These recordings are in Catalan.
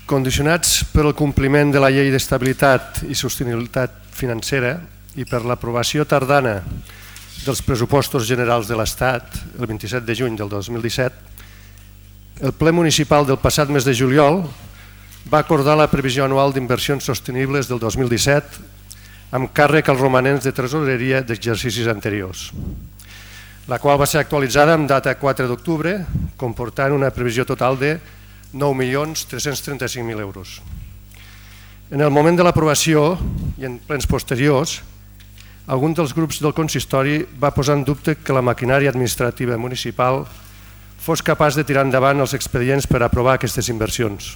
condicionats per el compliment de la Llei d'Estabilitat i Sostenibilitat Financera i per l'aprovació tardana dels pressupostos generals de l'Estat, el 27 de juny del 2017, el ple municipal del passat mes de juliol va acordar la previsió anual d'inversions sostenibles del 2017 amb càrrec als romanents de tresoreria d'exercicis anteriors, la qual va ser actualitzada amb data 4 d'octubre, comportant una previsió total de 9.335.000 euros. En el moment de l'aprovació i en plens posteriors, algun dels grups del consistori va posar en dubte que la maquinària administrativa municipal fos capaç de tirar endavant els expedients per aprovar aquestes inversions.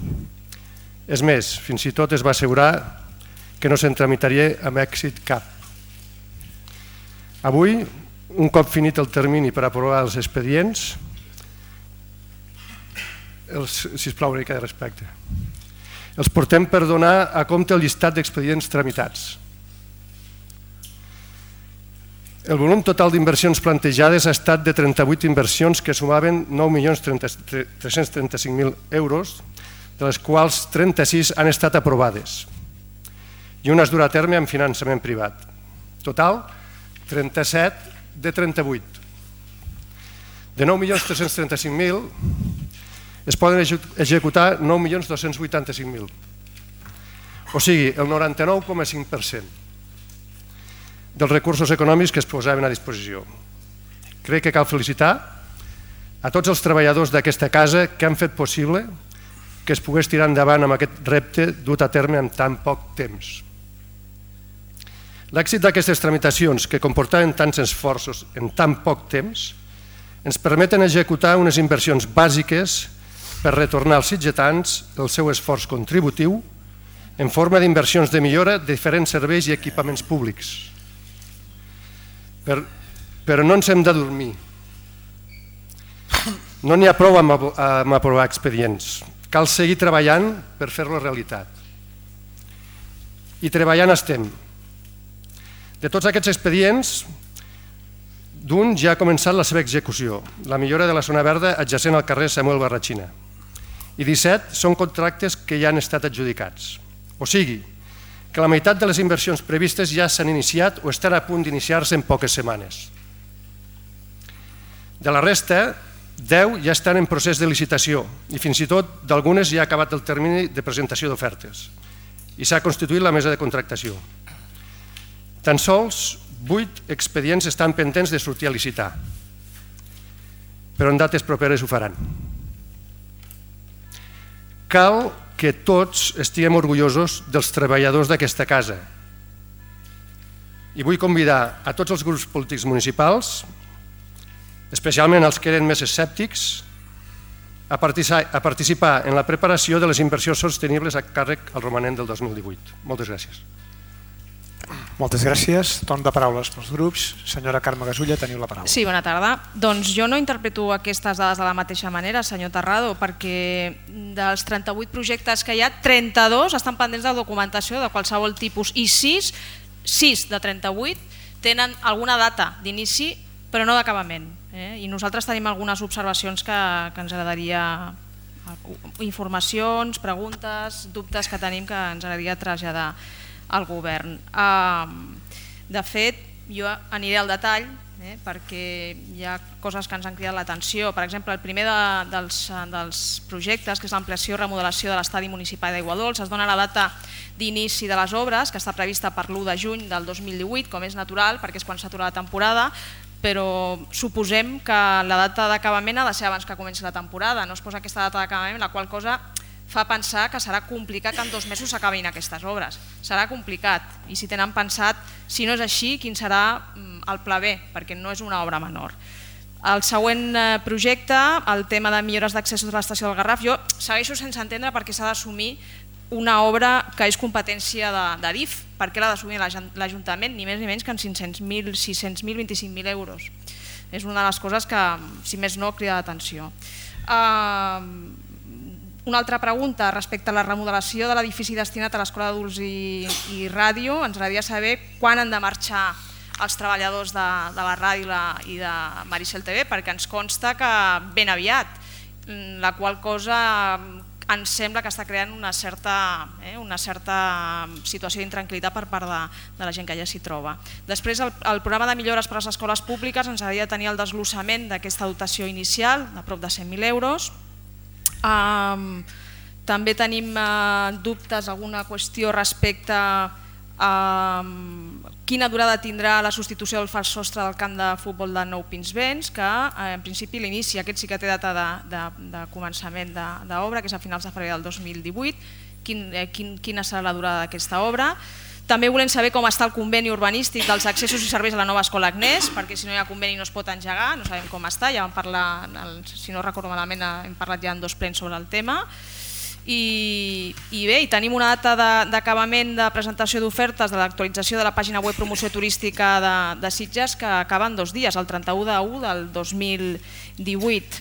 És més, fins i tot es va assegurar que no se'n tramitaria amb èxit cap. Avui, un cop finit el termini per aprovar els expedients, sisplau, una mica de respecte, els portem per donar a compte el llistat d'expedients tramitats. El volum total d'inversions plantejades ha estat de 38 inversions que sumaven 9.335.000 euros, de les quals 36 han estat aprovades i una es durà a terme amb finançament privat. Total, 37 de 38. De 9.335.000 es poden executar 9.285.000, o sigui, el 99,5% dels recursos econòmics que es posaven a disposició. Crec que cal felicitar a tots els treballadors d'aquesta casa que han fet possible que es pogués tirar endavant amb aquest repte dut a terme en tan poc temps. L'èxit d'aquestes tramitacions, que comportaven tants esforços en tan poc temps, ens permeten executar unes inversions bàsiques per retornar als sitgetans el seu esforç contributiu en forma d'inversions de millora de diferents serveis i equipaments públics. Però no ens hem de dormir. No n'hi ha prou amb aprovar expedients. Cal seguir treballant per fer-lo realitat. I treballant estem. De tots aquests expedients, d'un ja ha començat la seva execució, la millora de la zona verda adjacent al carrer Samuel Barratxina, i 17 són contractes que ja han estat adjudicats. O sigui, que la meitat de les inversions previstes ja s'han iniciat o estan a punt d'iniciar-se en poques setmanes. De la resta, 10 ja estan en procés de licitació i fins i tot d'algunes ja ha acabat el termini de presentació d'ofertes i s'ha constituït la mesa de contractació. Tan sols 8 expedients estan pendents de sortir a licitar, però en dates properes ho faran. Cal que tots estiguem orgullosos dels treballadors d'aquesta casa i vull convidar a tots els grups polítics municipals, especialment els que eren més escèptics, a participar en la preparació de les inversions sostenibles a càrrec al romanent del 2018. Moltes gràcies. Moltes gràcies. Torn de paraules pels grups. Senyora Carme Gasulla, teniu la paraula. Sí, bona tarda. Doncs jo no interpreto aquestes dades de la mateixa manera, senyor Terrado, perquè dels 38 projectes que hi ha, 32 estan pendents de documentació de qualsevol tipus i 6 de 38 tenen alguna data d'inici però no d'acabament. I nosaltres tenim algunes observacions que ens agradaria, informacions, preguntes, dubtes que tenim que ens agradaria traslladar al govern. De fet, jo aniré al detall perquè hi ha coses que ens han cridat l'atenció. Per exemple, el primer dels projectes, que és l'ampliació i remodelació de l'estadi municipal d'Aiguadols, es dona la data d'inici de les obres, que està prevista per l'1 de juny del 2018, com és natural, perquè és quan s'atura la temporada, però suposem que la data d'acabament ha de ser abans que comenci la temporada. No es posa aquesta data d'acabament, la qual cosa fa pensar que serà complicat que en 2 mesos s'acabin aquestes obres. Serà complicat, i si tenen pensat, si no és així, quin serà el pla B, perquè no és una obra menor. El següent projecte, el tema de millores d'accessos a l'estació del Garraf, jo segueixo sense entendre per què s'ha d'assumir una obra que és competència d'Adif, perquè l'ha d'assumir l'Ajuntament, ni més ni menys que en 500.000, 600.000, 25.000 euros. És una de les coses que, si més no, crida l'atenció. Una altra pregunta respecte a la remodelació de l'edifici destinat a l'Escola d'Adults i Ràdio. Ens agradaria saber quan han de marxar els treballadors de la ràdio i de Maricel TV, perquè ens consta que ben aviat, la qual cosa ens sembla que està creant una certa situació d'intranquil·litat per part de la gent que ja s'hi troba. Després, el programa de millores per a les escoles públiques ens agradaria tenir el desglossament d'aquesta dotació inicial de prop de 100.000 euros. També tenim dubtes, alguna qüestió respecte a quina durada tindrà la substitució del fals sostre del camp de futbol de Nou Pinsbens, que en principi l'inici, aquest sí que té data de començament d'obra, que és a finals de febrer del 2018, quina serà la durada d'aquesta obra. També volem saber com està el conveni urbanístic dels accessos i serveis a la nova escola Agnès, perquè si no hi ha conveni no es pot engegar, no sabem com està, ja vam parlar, si no recordo malament, hem parlat ja en 2 plens sobre el tema. I bé, tenim una data d'acabament de presentació d'ofertes de l'actualització de la pàgina web promoció turística de Sitges que acaba en 2 dies, el 31/1 del 2018.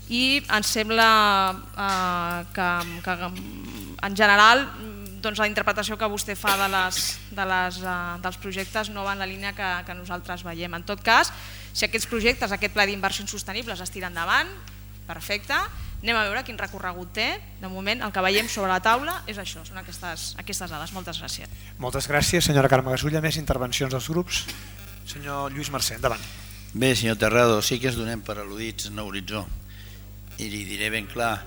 I ens sembla que en general la interpretació que vostè fa dels projectes no va en la línia que nosaltres veiem. En tot cas, si aquests projectes, aquest pla d'inversions sostenibles es tira endavant, perfecte. Anem a veure quin recorregut té. De moment el que veiem sobre la taula és això, són aquestes dades. Moltes gràcies. Moltes gràcies, senyora Carme Gasulla. Més intervencions dels grups? Senyor Lluís Mercè, endavant. Bé, senyor Terrado, sí que ens donem per al·ludits en l'horitzó. I li diré ben clar,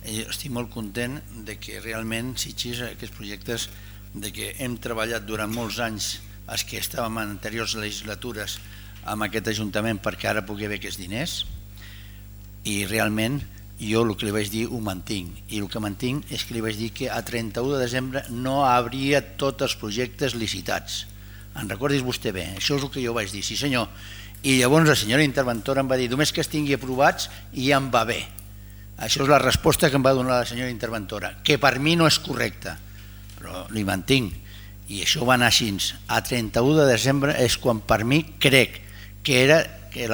estic molt content de que realment Sitges, aquests projectes, de que hem treballat durant molts anys, els que estàvem en anteriors legislatures amb aquest Ajuntament perquè ara pugui haver aquests diners, i realment jo el que li vaig dir ho mantinc, i el que mantinc és que li vaig dir que a 31 de desembre no hauria tots els projectes licitats. En recordis vostè bé, això és el que jo vaig dir, sí senyor. I llavors la senyora interventora em va dir només que es tingui aprovats i ja em va bé. Això és la resposta que em va donar la senyora interventora, que per mi no és correcta, però li mantinc. I això va anar així. A 31 de desembre és quan per mi crec que era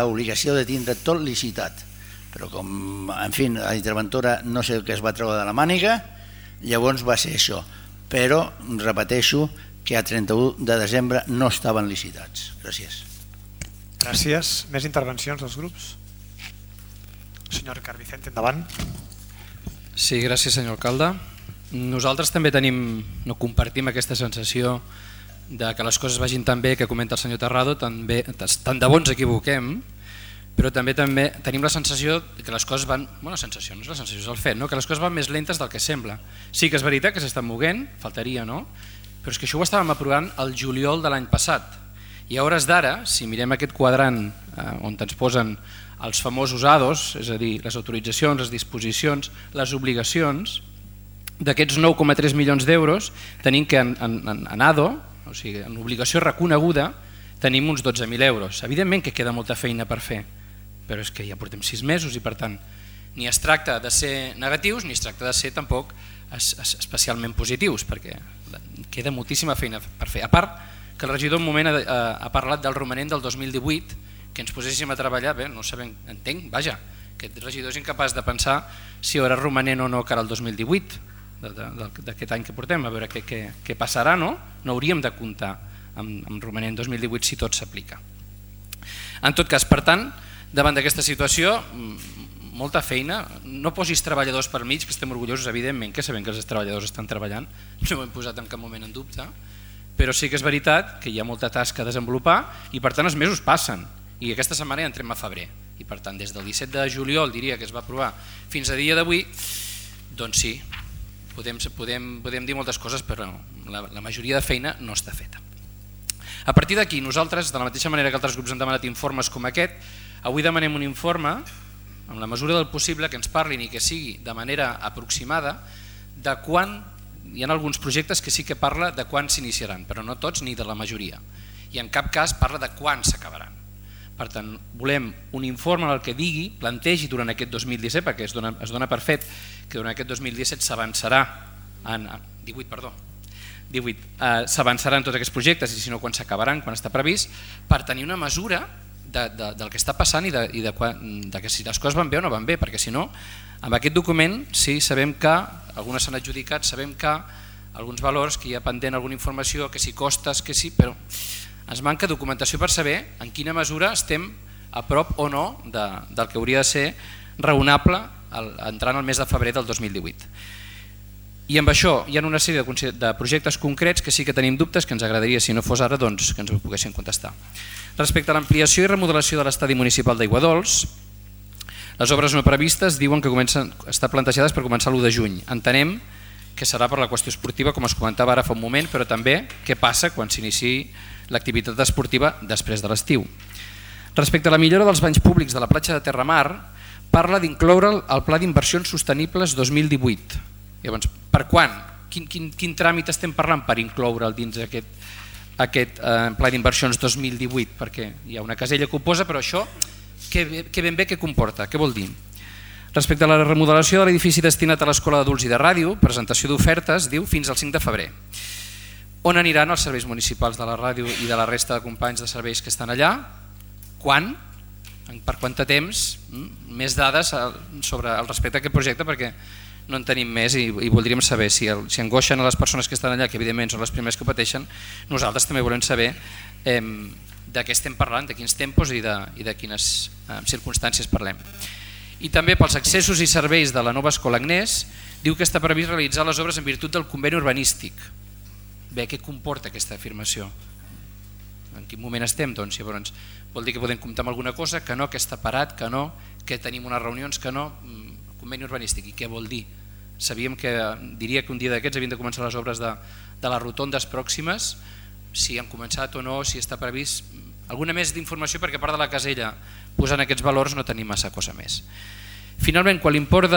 l'obligació de tindre tot licitat. Però com, en fi, la interventora no sé el que es va treure de la màniga, llavors va ser això. Però repeteixo que a 31 de desembre no estaven licitats. Gràcies. Gràcies. Més intervencions dels grups? Senyor Ricard Vicente, endavant. Sí, gràcies senyor alcalde. Nosaltres també no compartim aquesta sensació de que les coses vagin tan bé que comenta el senyor Terrado, tant de bo ens equivoquem, però també tenim la sensació que les coses van... Bueno, sensació, no és la sensació, és el fet, no? Que les coses van més lentes del que sembla. Sí que és veritat que s'estan moguent, faltaria, no? Però és que això ho estàvem aprovant el juliol de l'any passat. I a hores d'ara, si mirem aquest quadrant on ens posen els famosos ADOs, és a dir, les autoritzacions, les disposicions, les obligacions, d'aquests 9,3 milions d'euros tenim que en ADO, o sigui, en obligació reconeguda, tenim uns 12.000 euros. Evidentment que queda molta feina per fer, però és que ja portem 6 mesos i per tant ni es tracta de ser negatius ni es tracta de ser tampoc especialment positius, perquè queda moltíssima feina per fer. A part que el regidor un moment ha parlat del romanent del 2018, que ens poséssim a treballar, bé, no sabem, entenc, vaja, aquest regidor és incapaç de pensar si hi haurà romanent o no cara al 2018, d'aquest any que portem, a veure què passarà, no? No hauríem de comptar amb romanent 2018 si tot s'aplica. En tot cas, per tant, davant d'aquesta situació, molta feina, no posis treballadors per mig, que estem orgullosos, evidentment, que sabem que els treballadors estan treballant, no ho hem posat en cap moment en dubte, però sí que és veritat que hi ha molta tasca a desenvolupar i per tant els mesos passen i aquesta setmana ja entrem a febrer i per tant des del 17 de juliol diria que es va aprovar fins a dia d'avui, doncs sí, podem dir moltes coses però la majoria de feina no està feta. A partir d'aquí nosaltres, de la mateixa manera que altres grups han demanat informes com aquest, avui demanem un informe amb la mesura del possible que ens parlin i que sigui de manera aproximada de quan hi ha alguns projectes que sí que parla de quan s'iniciaran, però no tots ni de la majoria. I en cap cas parla de quan s'acabaran. Per tant, volem un informe en el que digui, plantegi durant aquest 2017, perquè es dona per fet que durant aquest 2017 s'avançarà en 18, s'avançaran tots aquests projectes i si no quan s'acabaran, quan està previst, per tenir una mesura del que està passant i de que si les coses van bé o no van bé, perquè si no, amb aquest document sí sabem que algunes s'han adjudicat, sabem que alguns valors, que hi ha pendent alguna informació, que si costes, que sí, però ens manca documentació per saber en quina mesura estem a prop o no del que hauria de ser raonable entrant al mes de febrer del 2018. I amb això hi ha una sèrie de projectes concrets que sí que tenim dubtes, que ens agradaria, si no fos ara, doncs, que ens ho poguessin contestar. Respecte a l'ampliació i remodelació de l'estadi municipal d'Aiguadols, les obres no previstes diuen que estan plantejades per començar l'1 de juny. Entenem que serà per la qüestió esportiva, com es comentava ara fa un moment, però també què passa quan s'iniciï l'activitat esportiva després de l'estiu. Respecte a la millora dels banys públics de la platja de Terramar, parla d'incloure'l al Pla d'Inversions Sostenibles 2018. Llavors, per quan? Quin tràmit estem parlant per incloure'l dins aquest Pla d'Inversions 2018? Perquè hi ha una casella que ho posa, però això que ben bé què comporta, què vol dir? Respecte a la remodelació de l'edifici destinat a l'Escola d'Adults i de Ràdio, presentació d'ofertes, diu, fins al 5 de febrer. On aniran els serveis municipals de la ràdio i de la resta de companys de serveis que estan allà? Quan? Per quant de temps? Més dades sobre el respecte a aquest projecte, perquè no en tenim més i voldríem saber si angoixen a les persones que estan allà, que evidentment són les primeres que pateixen. Nosaltres també volem saber de què estem parlant, de quins tempos i de quines circumstàncies parlem. I també pels accessos i serveis de la nova Escola Agnès, diu que està previst realitzar les obres en virtut del conveni urbanístic. Bé, què comporta aquesta afirmació? En quin moment estem? Doncs llavors vol dir que podem comptar amb alguna cosa, que no, que està parat, que no, que tenim unes reunions, que no, conveni urbanístic. I què vol dir? Sabíem que, diria que un dia d'aquests havien de començar les obres de les rotondes pròximes, si han començat o no, si està previst. Alguna més d'informació, perquè a part de la casella posant aquests valors no tenim massa cosa més. Finalment, quan l'import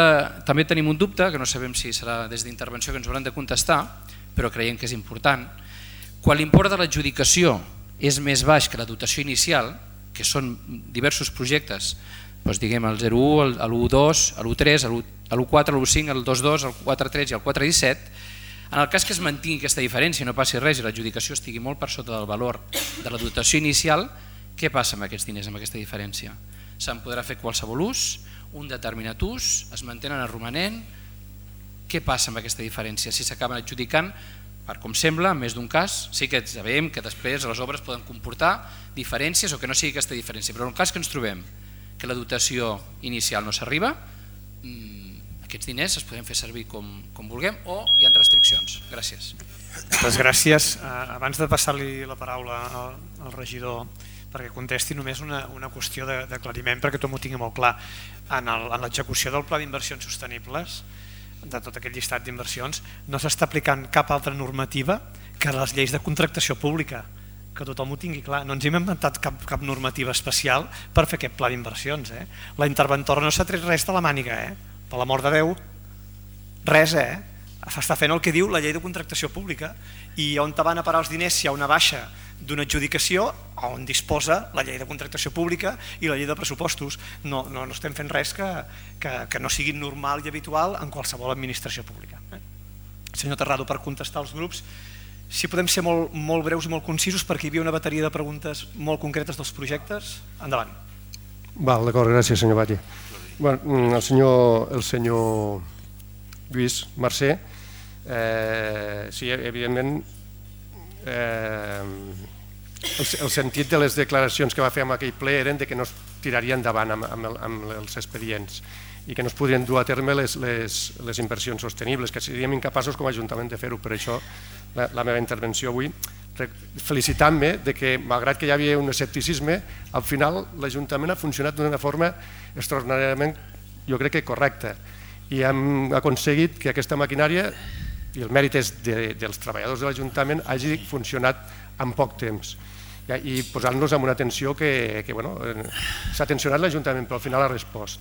també tenim un dubte, que no sabem si serà des d'intervenció que ens hauran de contestar, però creiem que és important. Quan l'import de l'adjudicació és més baix que la dotació inicial, que són diversos projectes, doncs diguem el 01, l'1.2, l'1.3, l'1.4, l'1.5, el 2.2, el 4.3 i el 4.17, en el cas que es mantingui aquesta diferència i no passi res i l'adjudicació estigui molt per sota del valor de la dotació inicial, què passa amb aquests diners, amb aquesta diferència? Se'n podrà fer qualsevol ús, un determinat ús, es mantenen el romanent? Què passa amb aquesta diferència? Si s'acaben adjudicant, per com sembla, en més d'un cas, sí que sabem que després les obres poden comportar diferències o que no sigui aquesta diferència, però en el cas que ens trobem que la dotació inicial no s'arriba, aquests diners es poden fer servir com vulguem o hi ha restriccions. Gràcies. Moltes gràcies. Abans de passar-li la paraula al regidor perquè contesti, només una qüestió d'aclariment perquè tothom ho tingui molt clar. En l'execució del Pla d'Inversions Sostenibles, de tot aquest llistat d'inversions, no s'està aplicant cap altra normativa que les lleis de contractació pública, que tothom ho tingui clar. No ens hem inventat cap normativa especial per fer aquest pla d'inversions. La interventora no s'ha tret res de la màniga, per l'amor de Déu, res, està fent el que diu la llei de contractació pública i on van a parar els diners si hi ha una baixa d'una adjudicació on disposa la llei de contractació pública i la llei de pressupostos. No estem fent res que no sigui normal i habitual en qualsevol administració pública. Senyor Terrado, per contestar als grups, si podem ser molt breus i molt concisos perquè hi havia una bateria de preguntes molt concretes dels projectes. Endavant. D'acord, gràcies senyor Batlle. El senyor Lluís Mercè, sí, evidentment el sentit de les declaracions que va fer en aquell ple eren que no es tiraria endavant amb els expedients i que no es podrien dur a terme les inversions sostenibles, que seríem incapaços com a Ajuntament de fer-ho. Per això la meva intervenció avui, felicitant-me que malgrat que hi havia un escepticisme, al final l'Ajuntament ha funcionat d'una forma extraordinàriament, jo crec que correcta, i hem aconseguit que aquesta maquinària, i el mèrit és dels treballadors de l'Ajuntament, hagi funcionat en poc temps i posant-nos en una tensió que s'ha tensionat l'Ajuntament, però al final ha respost.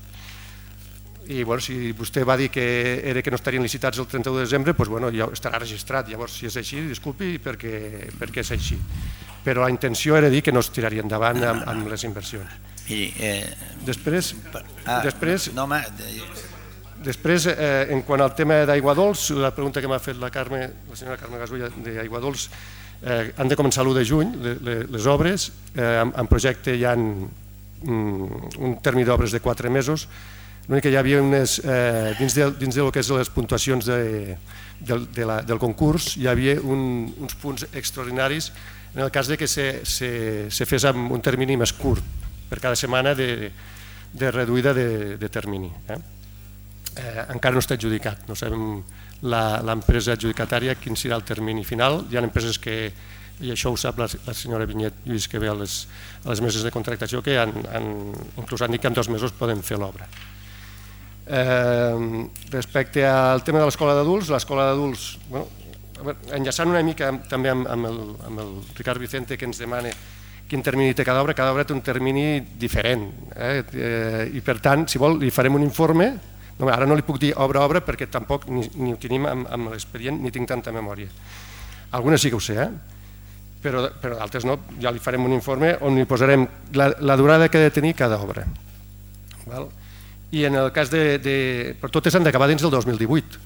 I si vostè va dir que no estarien licitats el 31 de desembre, ja estarà registrat. Llavors, si és així, disculpi perquè és així. Però la intenció era dir que no es tiraria endavant amb les inversions. Després, en quant al tema d'Aiguadols, la pregunta que m'ha fet la senyora Carme Gasulla d'Aiguadols, han de començar l'1 de juny les obres. En projecte hi ha un termini d'obres de 4 mesos. L'únic que hi havia dins del que és les puntuacions del concurs, hi havia uns punts extraordinaris en el cas que se fes amb un termini més curt per cada setmana de reduïda de termini. Encara no està adjudicat, no sabem l'empresa adjudicatària quin serà el termini final. Hi ha empreses que, i això ho sap la senyora Vinyet Lluís, que ve a les meses de contractació, que inclús han dit que en 2 mesos poden fer l'obra. Respecte al tema de l'escola d'adults, enllaçant una mica també amb el Ricard Vicente, que ens demana quin termini té cada obra té un termini diferent, i per tant, si vol, li farem un informe. Ara no li puc dir obra a obra perquè tampoc ni ho tenim amb l'expedient ni tinc tanta memòria. Algunes sí que ho sé, però d'altres no. Ja li farem un informe on li posarem la durada que ha de tenir cada obra. I en el cas però totes han d'acabar dins del 2018.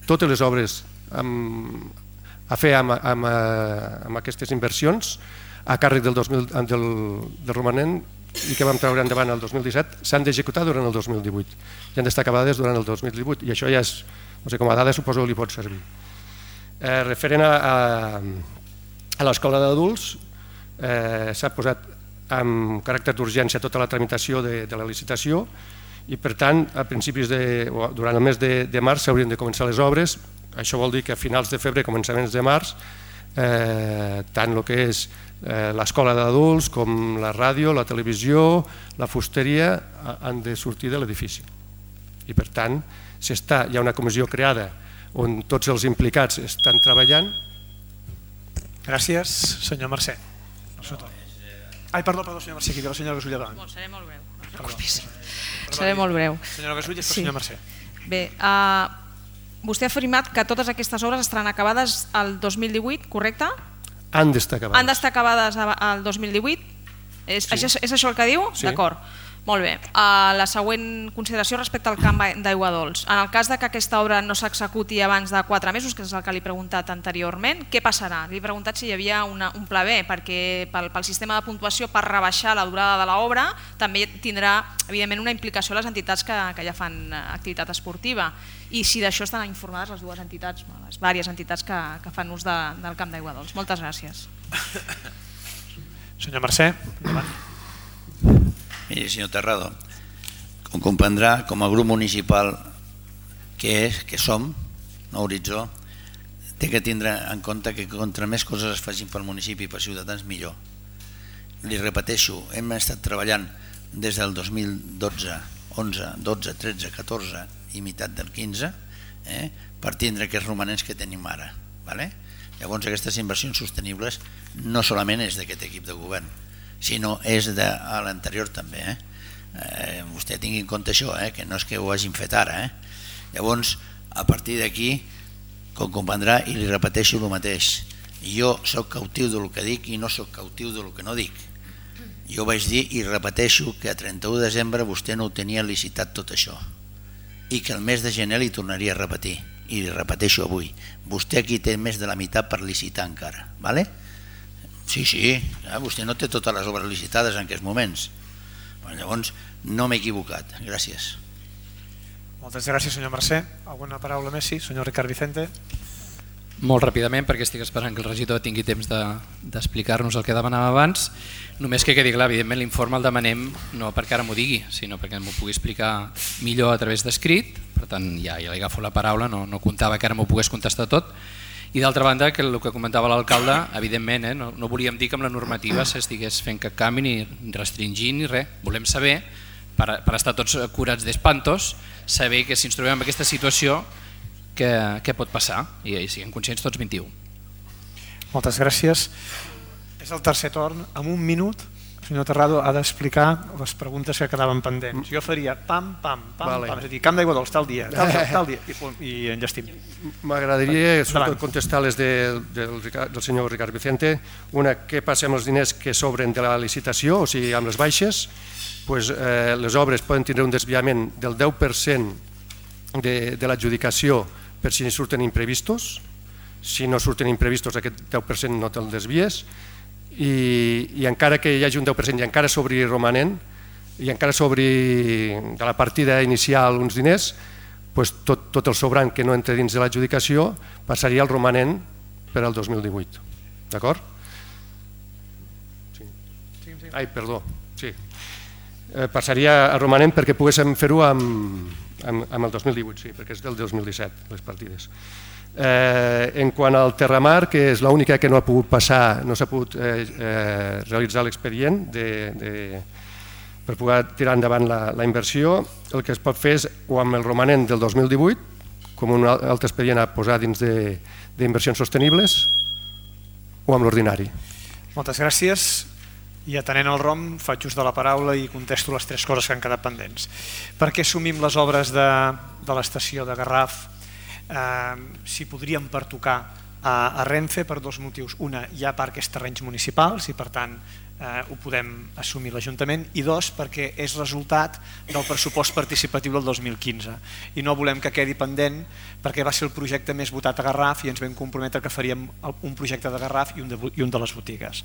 Totes les obres a fer amb aquestes inversions a càrrec del romanent i que vam treure endavant el 2017 s'han d'executar durant el 2018 i han d'estar acabades durant el 2018, i això ja és, no sé, com a dada suposo que li pot servir. Referent a l'escola d'adults, s'ha posat amb caràcter d'urgència tota la tramitació de la licitació i per tant durant el mes de març s'haurien de començar les obres. Això vol dir que a finals de febrer, començaments de març, tant el que és l'escola d'adults com la ràdio, la televisió, la fusteria han de sortir de l'edifici. I per tant hi ha una comissió creada on tots els implicats estan treballant. Gràcies, senyor Mercè. Perdó, senyor Mercè, aquí ve la senyora Gasull davant. Seré molt breu, no et preocupis. Seré molt breu. Senyora Gasull, després senyor Mercè. Bé, vostè ha afirmat que totes aquestes obres estaran acabades el 2018, correcte? Han d'estar acabades. Han d'estar acabades el 2018? És això el que diu? Sí. D'acord, molt bé. La següent consideració respecte al camp d'aigua dolç. En el cas que aquesta obra no s'executi abans de 4 mesos, que és el que li he preguntat anteriorment, què passarà? Li he preguntat si hi havia un pla B, perquè pel sistema de puntuació, per rebaixar la durada de l'obra, també tindrà evidentment una implicació a les entitats que ja fan activitat esportiva, i si d'això estan informades les dues entitats, les diverses entitats que fan ús del camp d'aigua dolç. Moltes gràcies. Senyor Mercè, endavant. Miri, senyor Terrado, com comprendrà, com a grup municipal que som, Horitzó, té que tindre en compte que contra més coses es facin pel municipi i per ciutadans, millor. Li repeteixo, hem estat treballant des del 2012, 11, 12, 13, 14 i meitat del 15 per tindre aquests romanents que tenim ara. Llavors aquestes inversions sostenibles no solament és d'aquest equip de govern, sinó és de l'anterior també. Vostè tingui en compte això, que no és que ho hagin fet ara. Llavors, a partir d'aquí, com comprendrà, i li repeteixo el mateix, jo soc cautiu del que dic i no soc cautiu del que no dic. Jo vaig dir i repeteixo que a 31 de desembre vostè no ho tenia licitat tot això i que el mes de gener li tornaria a repetir, i li repeteixo avui, vostè aquí té més de la meitat per licitar encara, vale? Sí, vostè no té totes les obres licitades en aquests moments. Llavors no m'he equivocat. Gràcies. Moltes gràcies, senyor Mercè. Alguna paraula més? Sí, senyor Ricard Vicente. Molt ràpidament, perquè estic esperant que el regidor tingui temps d'explicar-nos el que demanàvem abans. Només que quedi clar, evidentment l'informe el demanem no perquè ara m'ho digui, sinó perquè m'ho pugui explicar millor a través d'escrit. Per tant, ja li agafo la paraula, no comptava que ara m'ho pogués contestar tot. I d'altra banda, que el que comentava l'alcalde, evidentment, no volíem dir que amb la normativa s'estigués fent cap canvi ni restringint ni res. Volem saber, per estar tots curats d'espantos, saber que si ens trobem en aquesta situació què pot passar, i siguem conscients tots 21. Moltes gràcies. És el tercer torn. En un minut, el senyor Terrado ha d'explicar les preguntes que quedaven pendents. Jo faria pam, és a dir, camp d'aigua dolç, tal dia, i enllestim. M'agradaria contestar les del senyor Ricard Vicente. Una, què passa amb els diners que sobren de la licitació, o sigui, amb les baixes? Les obres poden tindre un desviament del 10% de l'adjudicació per si surten imprevistos. Si no surten imprevistos, aquest 10% no te'l desvies, i encara que hi hagi un 10% i encara sobri romanent i encara sobri de la partida inicial uns diners, tot el sobrant que no entra dins de l'adjudicació passaria al romanent per al 2018. D'acord? Ai, perdó, sí. Passaria al romanent perquè poguéssim fer-ho amb amb el 2018, sí, perquè és del 2017, les partides. En quant al Terramar, que és l'única que no ha pogut passar, no s'ha pogut realitzar l'expedient per poder tirar endavant la inversió, el que es pot fer és o amb el romanent del 2018, com un altre expedient a posar dins d'inversions sostenibles, o amb l'ordinari. Moltes gràcies. I atenent el ROM, faig ús de la paraula i contesto les 3 coses que han quedat pendents. Per què assumim les obres de l'estació de Garraf si podríem pertocar a Renfe per 2 motius? Una, hi ha parcs terrenys municipals i per tant ho podem assumir l'Ajuntament, i 2, perquè és resultat del pressupost participatiu del 2015 i no volem que quedi pendent perquè va ser el projecte més votat a Garraf i ens vam comprometre que faríem un projecte de Garraf i un de les botigues.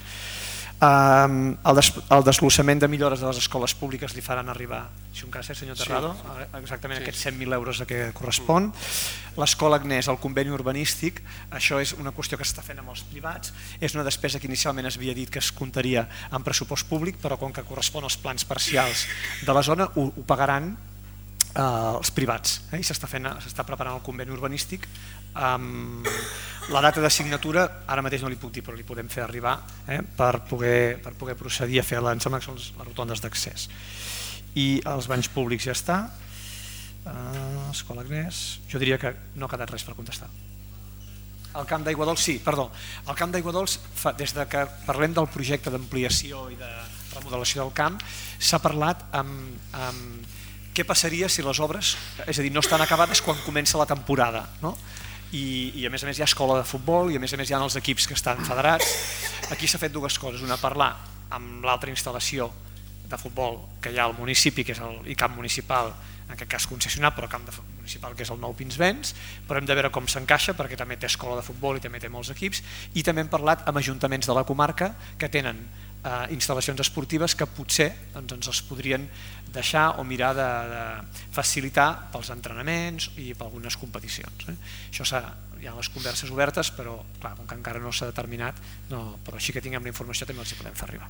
El desglossament de millores de les escoles públiques li faran arribar, si un cas, senyor Terrado, exactament aquests 100.000 euros a què correspon. L'escola Agnès, el conveni urbanístic, això és una qüestió que s'està fent amb els privats, és una despesa que inicialment es havia dit que es comptaria en pressupost públic, però com que correspon als plans parcials de la zona ho pagaran els privats, i s'està preparant el conveni urbanístic. La data de signatura ara mateix no li puc dir, però li podem fer arribar per poder procedir a fer em sembla que són les rotondes d'accés. I els banys públics ja està. Escola Agnès, jo diria que no ha quedat res per contestar. El camp d'Aigua Dols, sí, perdó. El camp d'Aigua Dols, des que parlem del projecte d'ampliació i de remodelació del camp, s'ha parlat amb què passaria si les obres, és a dir, no estan acabades quan comença la temporada, no? I a més hi ha escola de futbol i a més hi ha els equips que estan federats. Aquí s'ha fet 2 coses, una, parlar amb l'altra instal·lació de futbol que hi ha al municipi, que és el camp municipal, en aquest cas concessionat, però camp municipal que és el Nou Pinsbens, però hem de veure com s'encaixa perquè també té escola de futbol i també té molts equips, i també hem parlat amb ajuntaments de la comarca que tenen instal·lacions esportives que potser ens els podrien deixar o mirar de facilitar pels entrenaments i per algunes competicions. Això hi ha les converses obertes, però clar, com que encara no s'ha determinat, però així que tinguem la informació també els hi podem fer arribar.